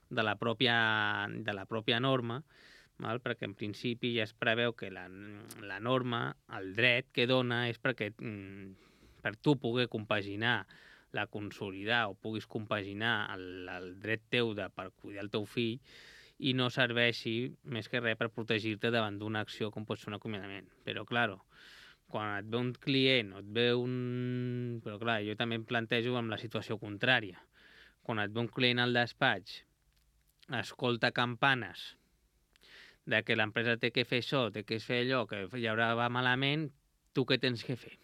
de la pròpia norma, perquè en principi ja es preveu que la norma, el dret que dona és perquè per tu poder compaginar la consolidar o puguis compaginar el dret teu per cuidar el teu fill i no serveixi més que res per protegir-te davant d'una acció com pot ser un acomiadament. Però, clar, quan et ve un client o et ve un... Però, clar, jo també em plantejo amb la situació contrària. Quan et ve un client al despatx, escolta campanes de que l'empresa té que fer això, té que fer allò, que ja va malament, tu què tens que fer?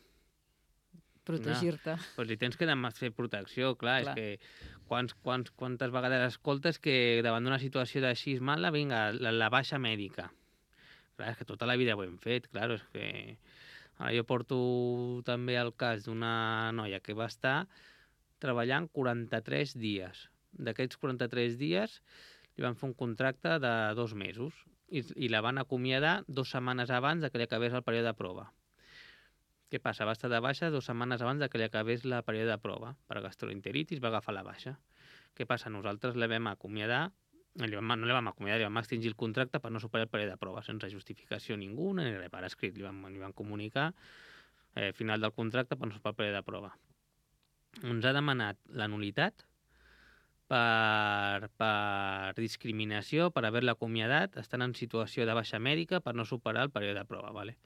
Protegir-te. Doncs li tens que fer protecció, clar. És que quantes vegades escoltes que davant d'una situació d'així mala, vinga, la baixa mèdica. Clar, és que tota la vida ho hem fet, clar, és que... Ara jo porto també el cas d'una noia que va estar treballant 43 dies. D'aquests 43 dies li van fer un contracte de 2 mesos i la van acomiadar 2 setmanes abans de que li acabés el període de prova. Què passa? Va estar de baixa 2 setmanes abans de que li acabés el període de prova. Per gastroenteritis va agafar la baixa. Què passa? Nosaltres la vam acomiadar, no la vam acomiadar, li vam extingir el contracte per no superar el període de prova, sense justificació ninguna, ni res per escrit. Li van comunicar final del contracte per no superar el període de prova. Ens ha demanat la nul·litat per discriminació, per haver-la acomiadat, estant en situació de baixa mèdica per no superar el període de prova. Vale?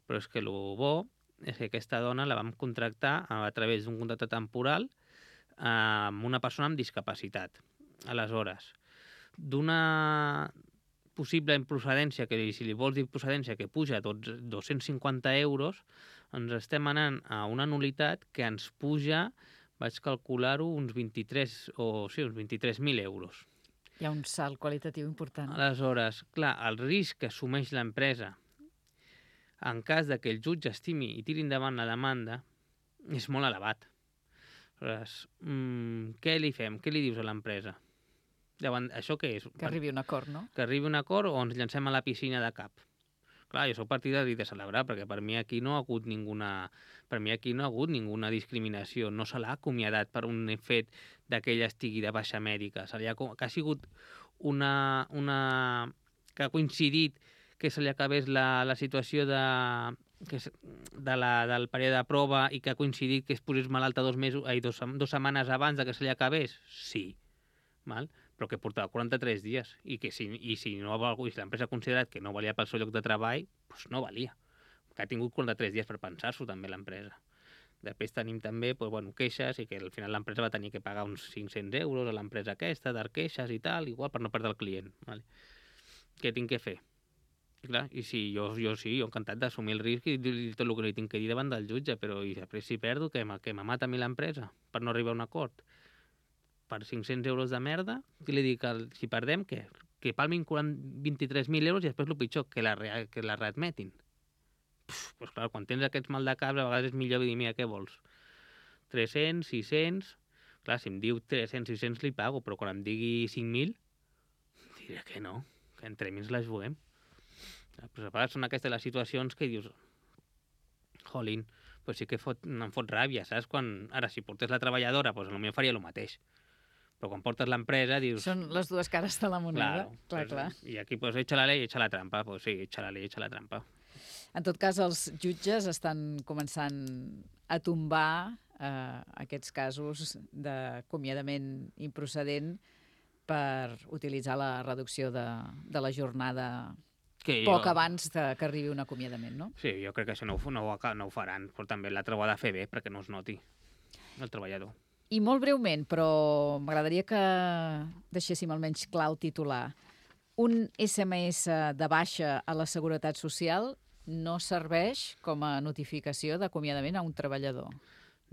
Però és que el bo és que aquesta dona la vam contractar a través d'un contracte temporal amb una persona amb discapacitat. Aleshores, d'una possible improcedència, que si li vols dir procedència, que puja 250 euros, ens estem anant a una nul·litat que ens puja, vaig calcular-ho, uns 23.000 euros. Hi ha un salt qualitatiu important. Aleshores, clar, el risc que assumeix l'empresa en cas de que el jutge estimi i tiri endavant la demanda és molt elevat. Aleshores, què li fem? Què li dius a l'empresa? Davant això què és? Que arribi a un acord, no? Que arribi a un acord o ens llancem a la piscina de cap. Clar, jo soc partidari de celebrar, perquè per mi aquí no ha hagut ninguna discriminació. No se l'ha acomiadat per un fet que ella estigui de baixa mèdica. Que ha sigut que ha coincidit que se li acabés la situació del període de prova i que ha coincidit que es posés malalta 2 setmanes abans de que se li acabés? Sí. Val? Però que portava 43 dies i si l'empresa ha considerat que no valia pel seu lloc de treball, doncs no valia. Que ha tingut 43 dies per pensar-s'ho també l'empresa. Després tenim també queixes i que al final l'empresa va tenir que pagar uns 500 euros a l'empresa aquesta, d'arqueixes i tal, igual per no perdre el client. Vale? Què tinc que fer? I clar, i sí, jo encantat d'assumir el risc i dir tot el que li tinc que dir davant del jutge, però i després si perdo, que me mata a mi l'empresa per no arribar a un acord. Per 500 euros de merda, què li dic? Si perdem, què? Que palmin 23.000 euros i després el pitjor, que la readmetin. Doncs clar, quan tens aquests mal de cap, a vegades és millor dir, mira, què vols? 300, 600... Clar, si em diu 300, 600 li pago, però quan em digui 5.000, diré que no, que entre mi ens la juguem. Però a vegades són aquestes les situacions que dius, jolín, pues sí que em fot ràbia, saps? Ara, si portés la treballadora, pues potser faria el mateix. Però quan portes l'empresa, dius... Són les dues cares de la moneda. Clar. I aquí, pues, echa la ley, echa la trampa. Pues sí, echa la ley, echa la trampa. En tot cas, els jutges estan començant a tombar aquests casos d'acomiadament improcedent per utilitzar la reducció de la jornada poc abans que arribi un acomiadament, no? Sí, jo crec que això no ho faran, però també l'altre ho ha de fer bé perquè no es noti el treballador. I molt breument, però m'agradaria que deixéssim almenys clar el titular. Un SMS de baixa a la Seguretat Social no serveix com a notificació d'acomiadament a un treballador.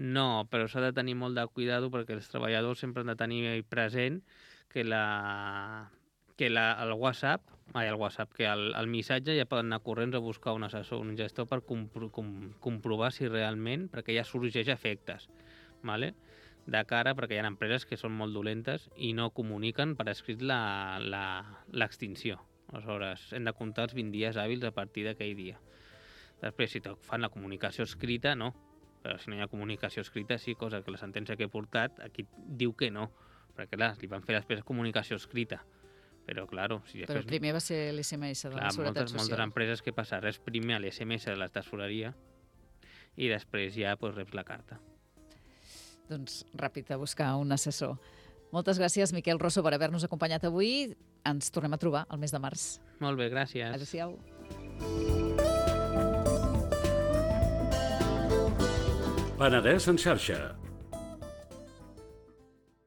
No, però s'ha de tenir molt de cuidado perquè els treballadors sempre han de tenir present que el WhatsApp, que el missatge ja poden anar corrents a buscar un assessor, un gestor per comprovar si realment, perquè ja sorgeix efectes, ¿vale? De cara, perquè hi ha empreses que són molt dolentes i no comuniquen per escrit l'extinció. Aleshores, hem de comptar els 20 dies hàbils a partir d'aquell dia. Després, si fan la comunicació escrita, no. Però si no hi ha comunicació escrita, sí, cosa que la sentència que he portat aquí diu que no. Perquè, clar, li van fer després comunicació escrita. Però, claro... Si però primer va ser l'SMS de la Seguretat Social. Moltes empreses que passa res primer a l'SMS de la tesoreria i després ja reps la carta. Doncs ràpid a buscar un assessor. Moltes gràcies, Miquel Rosso, per haver-nos acompanyat avui. Ens tornem a trobar el mes de març. Molt bé, gràcies. Adéu-siau. Penedès en xarxa.